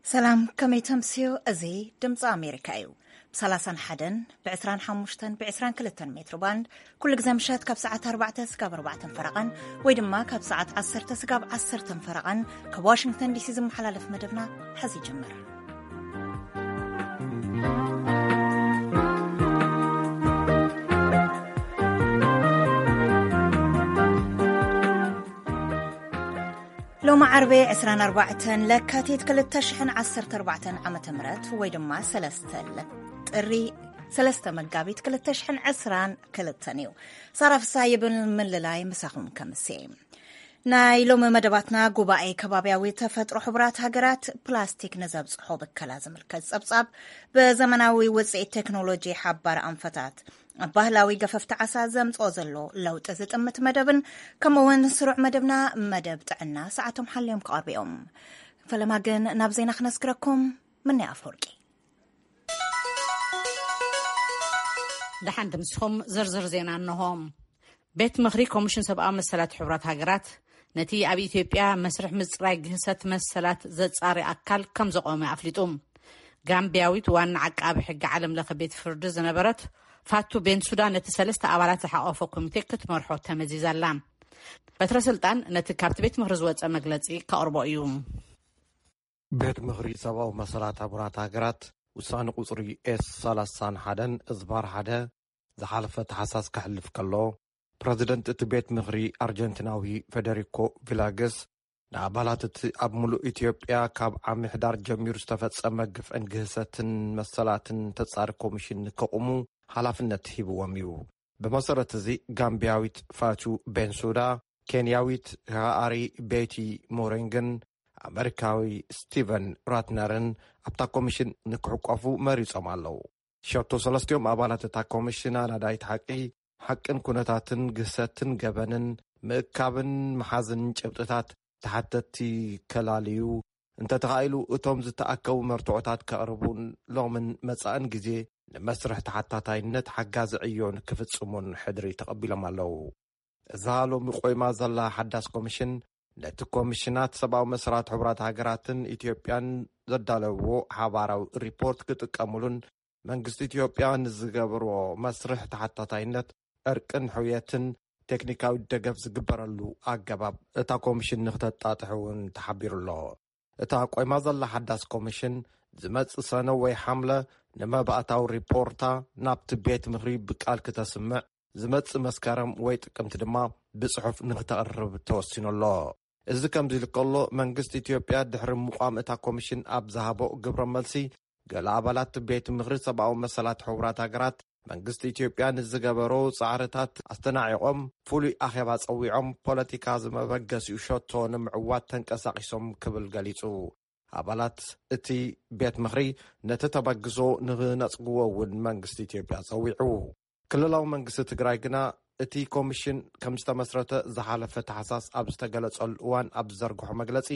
ሰላም፣ ከመይ ተምስዮ? እዚ ድምፂ ኣሜሪካ እዩ። ብ31፣ ብ25፣ ብ22 ሜትሮ ባንድ ኩሉ ግዜ ምሸት ካብ ሰዓት ኣርባዕተ ስጋብ ኣርባዕተን ፈረቓን፣ ወይ ድማ ካብ ሰዓት ዓሰርተ ስጋብ ዓሰርተን ፈረቓን ካብ ዋሽንግተን ዲሲ ዝመሓላለፍ መደብና ሐዚ ይጅምር። ሎሚ ዓርቢ ዕስራን ኣርባዕተን ለካቲት ክልተ ሽሕን ዓሰርተ ኣርባዕተን ዓመተ ምህረት፣ ወይ ድማ ሰለስተ ለ-፣ ጥሪ ሰለስተ መጋቢት ክልተ ሽሕን ዕስራን ክልተን እዩ። ሳራ ፍሳ ይብል ምልላይ ምሳኹም ከምሴ። ናይ ሎሚ መደባትና ጉባኤ ከባቢያዊ ተፈጥሮ ሕቡራት ሃገራት ፕላስቲክ ንዘብጽሖ ብከላ ዝምልከት ጸብጻብ፣ ብዘመናዊ ውጽኢት ቴክኖሎጂ ሓባር ኣንፈታት ኣብ ባህላዊ ገፈፍቲ ዓሳ ዘምጽኦ ዘሎ ለውጢ ዝጥምት መደብን፣ ከምኡ እውን ስሩዕ መደብና መደብ ጥዕና ሰዓቶም ሓልዮም ክቐርቡ እዮም። ፈለማ ግን ናብ ዜና ክነስግረኩም። ምነ ኣፈወርቂ። ደሓን ድምስኹም ዝርዝር ዜና እንሆ። ቤት ምኽሪ ኮሚሽን ሰብኣዊ መሰላት ሕቡራት ሃገራት ነቲ ኣብ ኢትዮጵያ መስርሕ ምጽራይ ግህሰት መሰላት ዘጻሪ ኣካል ከም ዘቆመ ኣፍሊጡ። ጋምቢያዊት ዋና ዓቃቢ ሕጊ ዓለም ለኸ ቤት ፍርዲ ዝነበረት ፋቱ ቤንሱዳ ነቲ ሰለስተ ኣባላት ዝሓቆፈ ኮሚቴ ክትመርሖ ተመዚዛላ። በትረ ስልጣን ነቲ ካብቲ ቤት ምኽሪ ዝወጸ መግለጺ ከቕርቦ እዩ። ቤት ምኽሪ ሰብኣዊ መሰላት ሕቡራት ሃገራት ውሳነ ቁጽሪ ኤስ ሰላሳን ሓደን እዝባር ሓደ ዝሓለፈ ተሓሳስ ከሕልፍ ከሎ፣ ፕረዚደንት እቲ ቤት ምኽሪ ኣርጀንቲናዊ ፌደሪኮ ቪላገስ ንኣባላት እቲ ኣብ ምሉእ ኢትዮጵያ ካብ ዓሚ ሕዳር ጀሚሩ ዝተፈጸመ ግፍዕን ግህሰትን መሰላትን ተጻሪ ኮሚሽን ንከቑሙ ሓላፍነት ሂብዎም እዩ። ብመሰረት እዚ፣ ጋምቢያዊት ፋቱ ቤንሱዳ፣ ኬንያዊት ሃኣሪ ቤቲ ሞሬንግን ኣመሪካዊ ስቲቨን ራትነርን ኣብታ ኮሚሽን ንክሕቆፉ መሪጾም ኣለዉ። ሸቶ ሰለስቲኦም ኣባላት እታ ኮሚሽን ኣናዳይት ሓቂ፣ ሓቅን ኩነታትን ግህሰትን ገበንን ምእካብን ምሓዝን ጭብጥታት ተሓተትቲ ከላልዩ፣ እንተተኻኢሉ እቶም ዝተኣከቡ መርትዖታት ከቕርቡን ሎምን መጻእን ግዜ ንመስርሕ ተሓታታይነት ሓጋዚ ዕዮ ንክፍጽሙን ሕድሪ ተቐቢሎም ኣለዉ። እዛ ሎሚ ቆይማ ዘላ ሓዳስ ኮሚሽን፣ ነቲ ኮሚሽናት ሰብኣዊ መሰላት ሕቡራት ሃገራትን ኢትዮጵያን ዘዳለውዎ ሓባራዊ ሪፖርት ክጥቀሙሉን መንግስቲ ኢትዮጵያ ንዝገብርዎ መስርሕ ተሓታታይነት፣ ዕርቅን ሕውየትን ቴክኒካዊ ደገፍ ዝግበረሉ ኣገባብ እታ ኮሚሽን ንክተጣጥሕ እውን ተሓቢሩ ኣሎ። እታ ቆይማ ዘላ ሓዳስ ኮሚሽን ዝመጽእ ሰነ ወይ ሓምለ ንመባእታዊ ሪፖርታ ናብቲ ቤት ምኽሪ ብቃል ክተስምዕ፣ ዝመጽእ መስከረም ወይ ጥቅምቲ ድማ ብጽሑፍ ንክተቕርብ ተወሲኑ ኣሎ። እዚ ከምዚ ኢሉ ከሎ፣ መንግስቲ ኢትዮጵያ ድሕሪ ምቋም እታ ኮሚሽን ኣብ ዝሃቦ ግብረ መልሲ፣ ገለ ኣባላት ቤት ምኽሪ ሰብኣዊ መሰላት ሕቡራት ሃገራት መንግስቲ ኢትዮጵያ ንዝገበሮ ጻዕርታት ኣስተናዒቖም ፍሉይ ኣኼባ ጸዊዖም ፖለቲካ ዝመበገሲኡ ሸቶ ንምዕዋት ተንቀሳቒሶም ክብል ገሊጹ። ኣባላት እቲ ቤት ምኽሪ ነቲ ተበግሶ ንኽነጽግዎ እውን መንግስቲ ኢትዮጵያ ጸዊዑ። ክልላዊ መንግስቲ ትግራይ ግና እቲ ኮሚሽን ከም ዝተመስረተ ዝሓለፈ ታሕሳስ ኣብ ዝተገለጸሉ እዋን ኣብ ዝዘርግሖ መግለጺ፣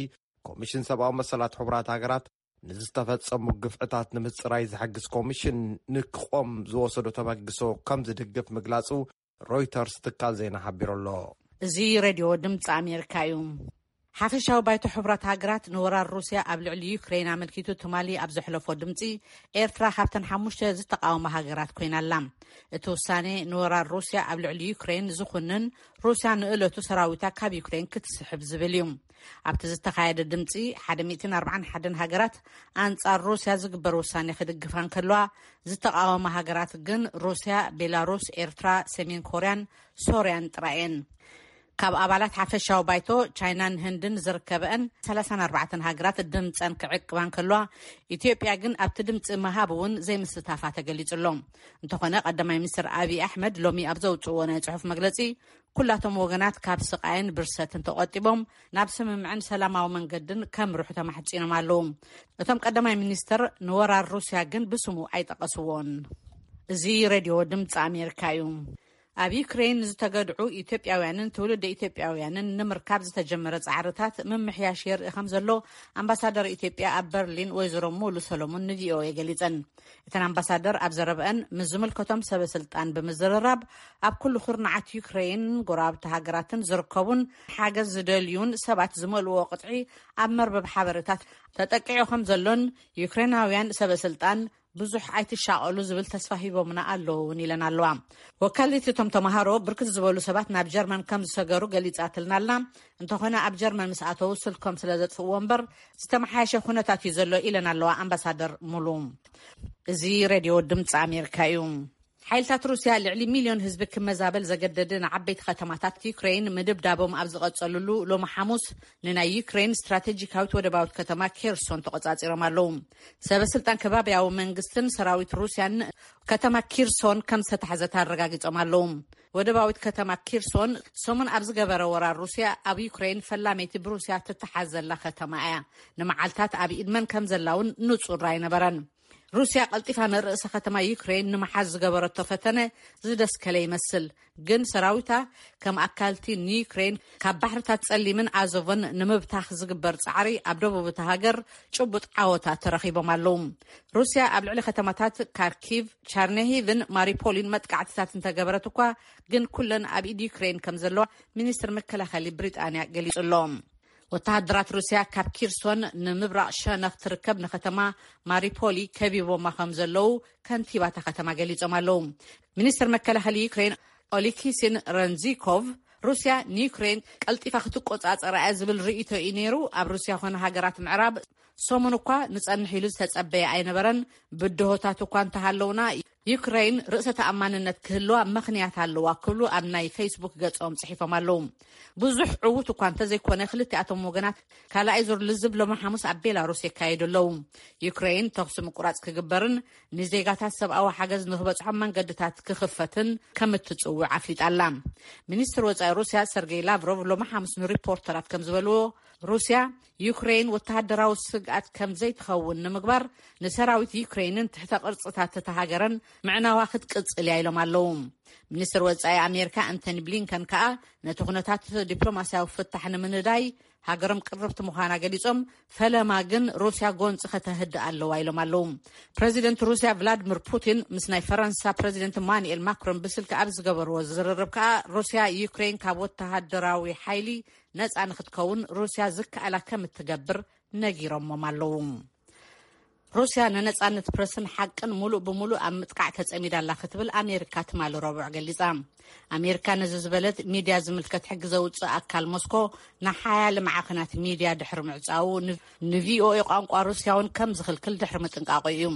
ኮሚሽን ሰብኣዊ መሰላት ሕቡራት ሃገራት ንዝተፈጸሙ ግፍዕታት ንምጽራይ ዝሕግዝ ኮሚሽን ንክቖም ዝወሰዶ ተበግሶ ከም ዝድግፍ ምግላጹ ሮይተርስ ትካል ዜና ሓቢሩ ኣሎ። እዚ ሬድዮ ድምፂ ኣሜሪካ እዩ። ሓፈሻዊ ባይቶ ሕቡራት ሃገራት ንወራር ሩስያ ኣብ ልዕሊ ዩክሬን ኣመልኪቱ ትማሊ ኣብ ዘሕለፎ ድምፂ፣ ኤርትራ ካብተን ሓሙሽተ ዝተቃወማ ሃገራት ኮይና ኣላ። እቲ ውሳኔ ንወራር ሩስያ ኣብ ልዕሊ ዩክሬን ዝኹንን፣ ሩስያ ንእለቱ ሰራዊታ ካብ ዩክሬን ክትስሕብ ዝብል እዩ። ኣብቲ ዝተኻየደ ድምፂ፣ ሓደ ሚእትን ኣርባዓን ሓደን ሃገራት ኣንጻር ሩስያ ዝግበር ውሳኔ ክድግፋ እንከለዋ፣ ዝተቃወማ ሃገራት ግን ሩስያ፣ ቤላሩስ፣ ኤርትራ፣ ሰሜን ኮርያን ሶርያን ጥራይ እየን። ካብ ኣባላት ሓፈሻዊ ባይቶ፣ ቻይናን ህንድን ዝርከበአን ሰላሳን ኣርባዕተን ሃገራት ድምፀን ክዕቅባ እንከለዋ፣ ኢትዮጵያ ግን ኣብቲ ድምፂ ምሃብ እውን ዘይምስታፋ ተገሊጹ ኣሎ። እንተኾነ፣ ቀዳማይ ሚኒስትር ኣብይ ኣሕመድ ሎሚ ኣብ ዘውፅእዎ ናይ ጽሑፍ መግለጺ፣ ኩላቶም ወገናት ካብ ስቃይን ብርሰትን ተቆጢቦም ናብ ስምምዕን ሰላማዊ መንገድን ከምርሑ ተማሕጺኖም ኣለዉ። እቶም ቀዳማይ ሚኒስትር ንወራር ሩስያ ግን ብስሙ ኣይጠቀስዎን። እዚ ሬድዮ ድምፂ ኣሜሪካ እዩ። ኣብ ዩክሬን ዝተገድዑ ኢትዮጵያውያንን ትውልደ ኢትዮጵያውያንን ንምርካብ ዝተጀመረ ጻዕርታት ምምሕያሽ የርኢ ከም ዘሎ ኣምባሳደር ኢትዮጵያ ኣብ በርሊን ወይዘሮ ሙሉ ሰሎሞን ንቪኦኤ ገሊጸን። እተን ኣምባሳደር ኣብ ዘረብአን፣ ምስ ዝምልከቶም ሰበ ስልጣን ብምዝርራብ፣ ኣብ ኩሉ ኩርናዓት ዩክሬን፣ ጎረባብቲ ሃገራትን ዝርከቡን ሓገዝ ዝደልዩን ሰባት ዝመልእዎ ቅጥዒ ኣብ መርበብ ሓበሬታት ተጠቂዑ ከም ዘሎን፣ ዩክሬናውያን ሰበ ስልጣን ብዙሕ ኣይትሻቐሉ ዝብል ተስፋ ሂቦምና ኣለዉ እውን ኢለን ኣለዋ። ወካሊት እቶም ተምሃሮ፣ ብርክት ዝበሉ ሰባት ናብ ጀርመን ከም ዝሰገሩ ገሊጻትልና ኣላ። እንተኾነ፣ ኣብ ጀርመን ምስ ኣተዉ ስልኮም ስለ ዘጥፍእዎ እምበር፣ ዝተመሓየሸ ኩነታት እዩ ዘሎ ኢለን ኣለዋ ኣምባሳደር ሙሉ። እዚ ሬድዮ ድምፂ ኣሜሪካ እዩ። ሓይልታት ሩስያ ልዕሊ ሚልዮን ህዝቢ ክመዛበል ዘገደደ ንዓበይቲ ከተማታት ዩክሬን ምድብዳቦም ኣብ ዝቐጸሉሉ፣ ሎሚ ሓሙስ ንናይ ዩክሬን ስትራቴጂካዊት ወደባዊት ከተማ ኬርሶን ተቖጻጺሮም ኣለዉ። ሰበ ስልጣን ከባቢያዊ መንግስትን ሰራዊት ሩስያን ከተማ ኪርሶን ከም ዝተታሕዘት ኣረጋጊጾም ኣለዉ። ወደባዊት ከተማ ኪርሶን ሰሙን ኣብ ዝገበረ ወራር ሩስያ ኣብ ዩክሬን ፈላመይቲ ብሩስያ ትተሓዝ ዘላ ከተማ እያ። ንመዓልታት ኣብ ኢድ መን ከም ዘላ እውን ንጹር ኣይነበረን። ሩስያ ቀልጢፋ ንርእሰ ከተማ ዩክሬን ንምሓዝ ዝገበረቶ ፈተነ ዝደስከለ ይመስል። ግን ሰራዊታ ከም ኣካልቲ ንዩክሬን ካብ ባሕርታት ጸሊምን ኣዞቮን ንምብታኽ ዝግበር ጻዕሪ ኣብ ደቡብ እታ ሃገር ጭቡጥ ዓወታት ተረኺቦም ኣለዉ። ሩስያ ኣብ ልዕሊ ከተማታት ካርኪቭ፣ ቻርነሂቭን ማሪፖሊን መጥቃዕትታት እንተገበረት እኳ፣ ግን ኩለን ኣብ ኢድ ዩክሬን ከም ዘለዋ ሚኒስትር መከላኸሊ ብሪጣንያ ገሊጹ ኣሎ። ወተሃደራት ሩስያ ካብ ኪርሶን ንምብራቕ ሸነኽ ትርከብ ንከተማ ማሪፖሊ ከቢቦማ ከም ዘለዉ ከንቲባታ ከተማ ገሊጾም ኣለዉ። ሚኒስትር መከላኸሊ ዩክሬን ኦሊኪሲን ረንዚኮቭ፣ ሩስያ ንዩክሬን ቀልጢፋ ክትቆጻጸራ እያ ዝብል ርእይቶ እዩ ነይሩ። ኣብ ሩስያ ኮነ ሃገራት ምዕራብ ሰሙን እኳ ንጸንሕ ኢሉ ዝተጸበየ ኣይነበረን። ብድሆታት እኳ እንተሃለውና፣ ዩክሬን ርእሰ ተኣማንነት ክህልዋ ምኽንያት ኣለዋ ክብሉ ኣብ ናይ ፌስቡክ ገጾም ጽሒፎም ኣለዉ። ብዙሕ ዕዉት እኳ እንተዘይኮነ፣ ክልቲኣቶም ወገናት ካልኣይ ዙር ልዝብ ሎሚ ሓሙስ ኣብ ቤላሩስ የካየዱ ኣለዉ። ዩክሬን ተኹሲ ምቁራጽ ክግበርን ንዜጋታት ሰብኣዊ ሓገዝ ንክበጽሖም መንገድታት ክኽፈትን ከም እትጽውዕ ኣፍሊጣ ኣላ። ሚኒስትር ወጻኢ ሩስያ ሰርጌይ ላቭሮቭ ሎሚ ሓሙስ ንሪፖርተራት ከም ዝበልዎ፣ ሩስያ ዩክሬን ወተሃደራዊ ስግኣት ከም ዘይትኸውን ንምግባር ንሰራዊት ዩክሬንን ትሕተ ቅርጽታት እታ ሃገርን ምዕናዋ ክትቅጽል እያ ኢሎም ኣለዉ። ሚኒስትር ወጻኢ ኣሜሪካ ኣንቶኒ ብሊንከን ከኣ ነቲ ኩነታት ዲፕሎማስያዊ ፍታሕ ንምንዳይ ሃገሮም ቅርብቲ ምዃና ገሊጾም፣ ፈለማ ግን ሩስያ ጎንጺ ከተህድእ ኣለዋ ኢሎም ኣለዉ። ፕረዚደንት ሩስያ ቭላድሚር ፑቲን ምስ ናይ ፈረንሳ ፕረዚደንት ኢማኑኤል ማክሮን ብስልኪ ኣብ ዝገበርዎ ዝርርብ ከኣ፣ ሩስያ ዩክሬን ካብ ወተሃደራዊ ሓይሊ ነጻ ንክትከውን ሩስያ ዝከኣላ ከም እትገብር ነጊሮሞም ኣለዉ። ሩስያ ንነጻነት ፕረስን ሓቅን ሙሉእ ብሙሉእ ኣብ ምጥቃዕ ተጸሚዳ ኣላ ክትብል ኣሜሪካ ትማሊ ረቡዕ ገሊጻ። ኣሜሪካ ነዚ ዝበለት፣ ሚድያ ዝምልከት ሕጊ ዘውጽእ ኣካል ሞስኮ ንሓያለ ማዕኸናት ሚድያ ድሕሪ ምዕጻዉ፣ ን-፣ ንቪኦኤ ቋንቋ ሩስያ እውን ከም ዝኽልክል ድሕሪ ምጥንቃቑ እዩ።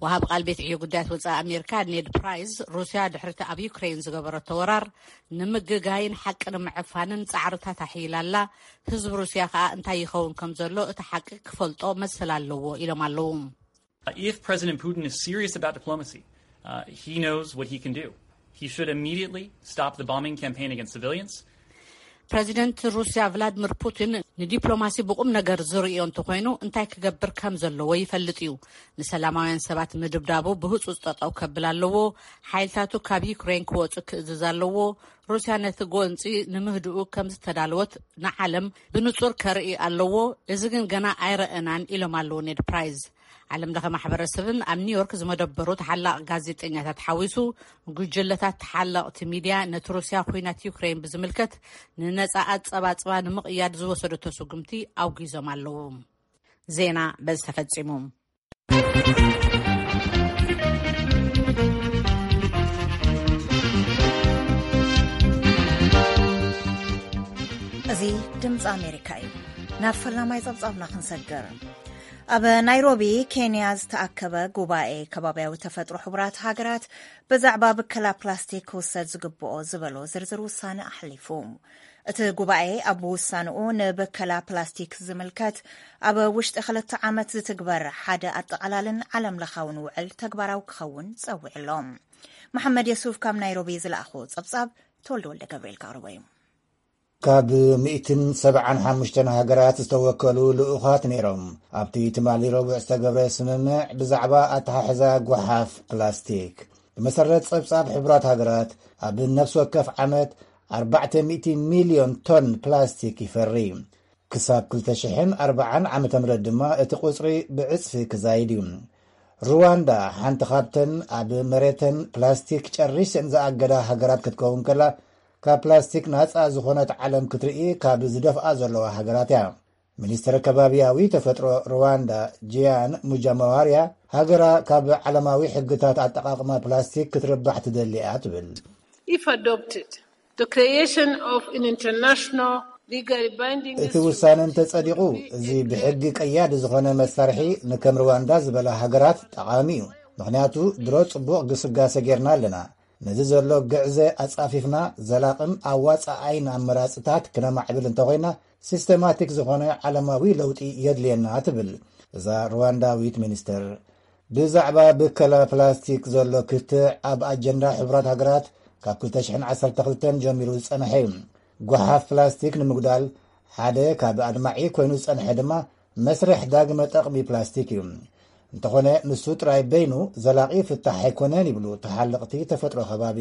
ወሃብ ቃል ቤት ዕዮ ጉዳያት ወጻኢ ኣሜሪካ ኔድ ፕራይስ፣ ሩስያ ድሕሪቲ ኣብ ዩክሬን ዝገበረቶ ወራር ንምግጋይን ሓቂ ንምዕፋንን ጻዕርታት ኣሕይላ ኣላ። ህዝቢ ሩስያ ከኣ እንታይ ይኸውን ከም ዘሎ እቲ ሓቂ ክፈልጦ መሰል ኣለዎ ኢሎም ኣለዉ። If President Putin is serious about diplomacy, uh, he knows what he can do. He should immediately stop the bombing campaign against civilians. ፕረዚደንት ሩስያ ቭላድሚር ፑቲን ንዲፕሎማሲ ብቁም ነገር ዝርእዮ እንተኾይኑ፣ እንታይ ክገብር ከም ዘለዎ ይፈልጥ እዩ። ንሰላማውያን ሰባት ምድብዳቡ ብህጹጽ ጠጠው ከብል ኣለዎ። ሓይልታቱ ካብ ዩክሬን ክወጹ ክእዝዝ ኣለዎ። ሩስያ ነቲ ጎንጺ ንምህድኡ ከም ዝተዳለወት ንዓለም ብንጹር ከርኢ ኣለዎ። እዚ ግን ገና ኣይረኣናን ኢሎም ኣለዉ ኔድ ፕራይስ። ዓለም ለኸ ማሕበረሰብን ኣብ ኒውዮርክ ዝመደበሩ ተሓላቕ ጋዜጠኛታት ሓዊሱ፣ ጉጅለታት ተሓለቕቲ ሚድያ ነቲ ሩስያ ኹናት ዩክሬን ብዝምልከት ንነጻ ኣጸባጽባ ንምቕያድ ዝወሰደቶ ስጉምቲ ኣውጊዞም ኣለዉ። ዜና በዚ ተፈጺሙ። እዚ ድምፂ ኣሜሪካ እዩ። ናብ ፈላማይ ጸብጻብና ክንሰግር። ኣብ ናይሮቢ ኬንያ ዝተኣከበ ጉባኤ ከባቢያዊ ተፈጥሮ ሕቡራት ሃገራት ብዛዕባ ብከላ ፕላስቲክ ክውሰድ ዝግብኦ ዝበሎ ዝርዝር ውሳነ ኣሕሊፉ። እቲ ጉባኤ ኣብ ውሳንኡ ንብከላ ፕላስቲክ ዝምልከት ኣብ ውሽጢ ክልተ ዓመት ዝትግበር ሓደ ኣጠቓላልን ዓለም ለኻውን ውዕል ተግባራዊ ክኸውን ጸዊዑ ኣሎ። መሓመድ የሱፍ ካብ ናይሮቢ ዝለኣኾ ጸብጻብ ተወልደ ወልደ ገብርኤል ከቕርቦ እዩ። ካብ ሚእትን ሰብዓን ሓሙሽተን ሃገራት ዝተወከሉ ልኡኻት ነይሮም ኣብቲ ትማሊ ረቡዕ ዝተገብረ ስምምዕ ብዛዕባ ኣተሓሕዛ ጓሓፍ ፕላስቲክ። መሰረት ጸብጻብ ሕቡራት ሃገራት፣ ኣብ ነፍሲ ወከፍ ዓመት ኣርባዕተ ሚእቲ ሚልዮን ቶን ፕላስቲክ ይፈሪ። ክሳብ ክልተ ሽሕን ኣርባዓን ዓመተ ምህረት ድማ እቲ ቁጽሪ ብዕጽፊ ክዛይድ እዩ። ሩዋንዳ ሓንቲ ካብተን ኣብ መሬተን ፕላስቲክ ጨሪሰን ዝኣገዳ ሃገራት ክትከውን ከላ፣ ካብ ፕላስቲክ ናጻ ዝኾነት ዓለም ክትርኢ ካብ ዝደፍኣ ዘለዋ ሃገራት እያ። ሚኒስትር ከባብያዊ ተፈጥሮ ሩዋንዳ ጂያን ሙጃማዋርያ፣ ሃገራ ካብ ዓለማዊ ሕግታት ኣጠቓቕማ ፕላስቲክ ክትርባሕ ትደሊ እያ ትብል። If adopted, the creation of an international legally binding እቲ ውሳነ እንተጸዲቑ፣ እዚ ብሕጊ ቀያዲ ዝኾነ መሳርሒ ንከም ሩዋንዳ ዝበላ ሃገራት ጠቓሚ እዩ። ምኽንያቱ ድሮ ጽቡቕ ግስጋሰ ጌርና ኣለና። ነዚ ዘሎ ግዕዘ ኣጻፊፍና፣ ዘላቕን ኣዋጻኣይን ኣመራጽታት ክነማዕብል እንተኾይና፣ ሲስተማቲክ ዝኾነ ዓለማዊ ለውጢ የድልየና ትብል እዛ ሩዋንዳዊት ሚኒስትር። ብዛዕባ ብከላ ፕላስቲክ ዘሎ ክትዕ ኣብ ኣጀንዳ ሕቡራት ሃገራት ካብ ክልተ ሽሕን ዓሰርተ ክልተን ጀሚሩ ዝጸንሐ እዩ። ጓሓፍ ፕላስቲክ ንምጉዳል ሓደ ካብ ኣድማዒ ኮይኑ ዝጸንሐ ድማ መስርሕ ዳግመ ጠቕሚ ፕላስቲክ እዩ። እንተኾነ ንሱ ጥራይ በይኑ ዘላቒ ፍታሕ ኣይኮነን ይብሉ ተሓለቕቲ ተፈጥሮ ከባቢ።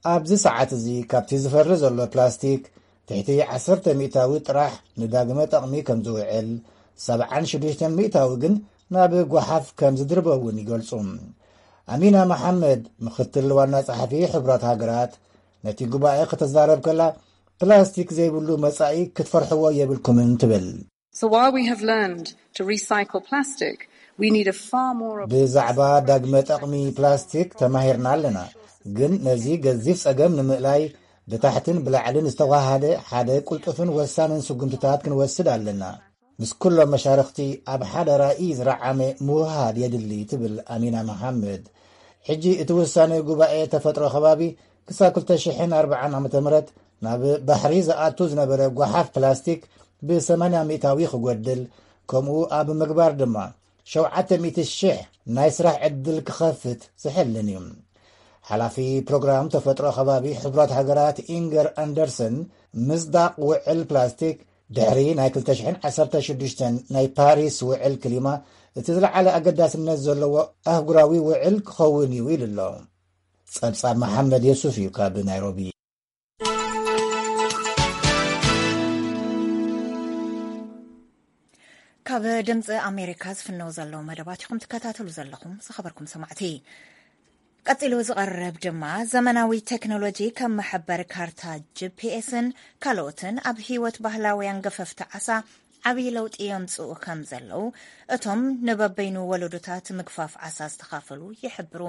ኣብዚ ሰዓት እዚ ካብቲ ዝፈሪ ዘሎ ፕላስቲክ ትሕቲ ዓሰርተ ሚእታዊ ጥራሕ ንዳግመ ጠቕሚ ከም ዝውዕል፣ ሰብዓን ሽዱሽተን ሚእታዊ ግን ናብ ጓሓፍ ከም ዝድርበ እውን ይገልጹ። ኣሚና መሓመድ፣ ምኽትል ዋና ጸሓፊ ሕቡራት ሃገራት፣ ነቲ ጉባኤ ክትዛረብ ከላ፣ ፕላስቲክ ዘይብሉ መጻኢ ክትፈርሕዎ የብልኩምን ትብል። So while we have learned to recycle plastic, we need a far more ብዛዕባ ዳግመ ጠቕሚ ፕላስቲክ ተማሂርና ኣለና፣ ግን ነዚ ገዚፍ ጸገም ንምእላይ ብታሕትን ብላዕልን ዝተዋሃደ ሓደ ቅልጡፍን ወሳንን ስጉምትታት ክንወስድ ኣለና። ምስ ኩሎም መሻርኽቲ ኣብ ሓደ ራእይ ዝረዓመ ምውህሃድ የድሊ ትብል ኣሚና መሓመድ። ሕጂ እቲ ውሳነ ጉባኤ ተፈጥሮ ከባቢ ክሳብ ክልተ ሽሕን ኣርባዓን ዓመተ ምህረት ናብ ባሕሪ ዝኣቱ ዝነበረ ጓሓፍ ፕላስቲክ ብ80 ሚእታዊ ክጎድል፣ ከምኡ ኣብ ምግባር ድማ ሸውዓተ ሚእቲ ሽሕ ናይ ስራሕ ዕድል ክኸፍት ዝሕልን እዩ። ሓላፊ ፕሮግራም ተፈጥሮ ከባቢ ሕቡራት ሃገራት ኢንገር ኣንደርሰን ምስዳቕ ውዕል ፕላስቲክ ድሕሪ ናይ ክልተ ሽሕን ዓሰርተ ሽዱሽተን ናይ ፓሪስ ውዕል ክሊማ እቲ ዝለዓለ ኣገዳስነት ዘለዎ ኣህጉራዊ ውዕል ክኸውን እዩ ኢሉ ኣሎ። ጸብጻብ መሓመድ የሱፍ እዩ ካብ ናይሮቢ። ካብ ድምፂ ኣሜሪካ ዝፍነው ዘለዉ መደባት ኢኹም ትከታተሉ ዘለኹም። ዝኸበርኩም ሰማዕቲ፣ ቀፂሉ ዝቐርብ ድማ ዘመናዊ ቴክኖሎጂ ከም መሐበሪ ካርታ፣ ጂፒኤስን ካልኦትን ኣብ ህይወት ባህላውያን ገፈፍቲ ዓሳ ዓብዪ ለውጢ የምፅኡ ከም ዘለዉ እቶም ንበበይኑ ወለዶታት ምግፋፍ ዓሳ ዝተኻፈሉ ይሕብሩ።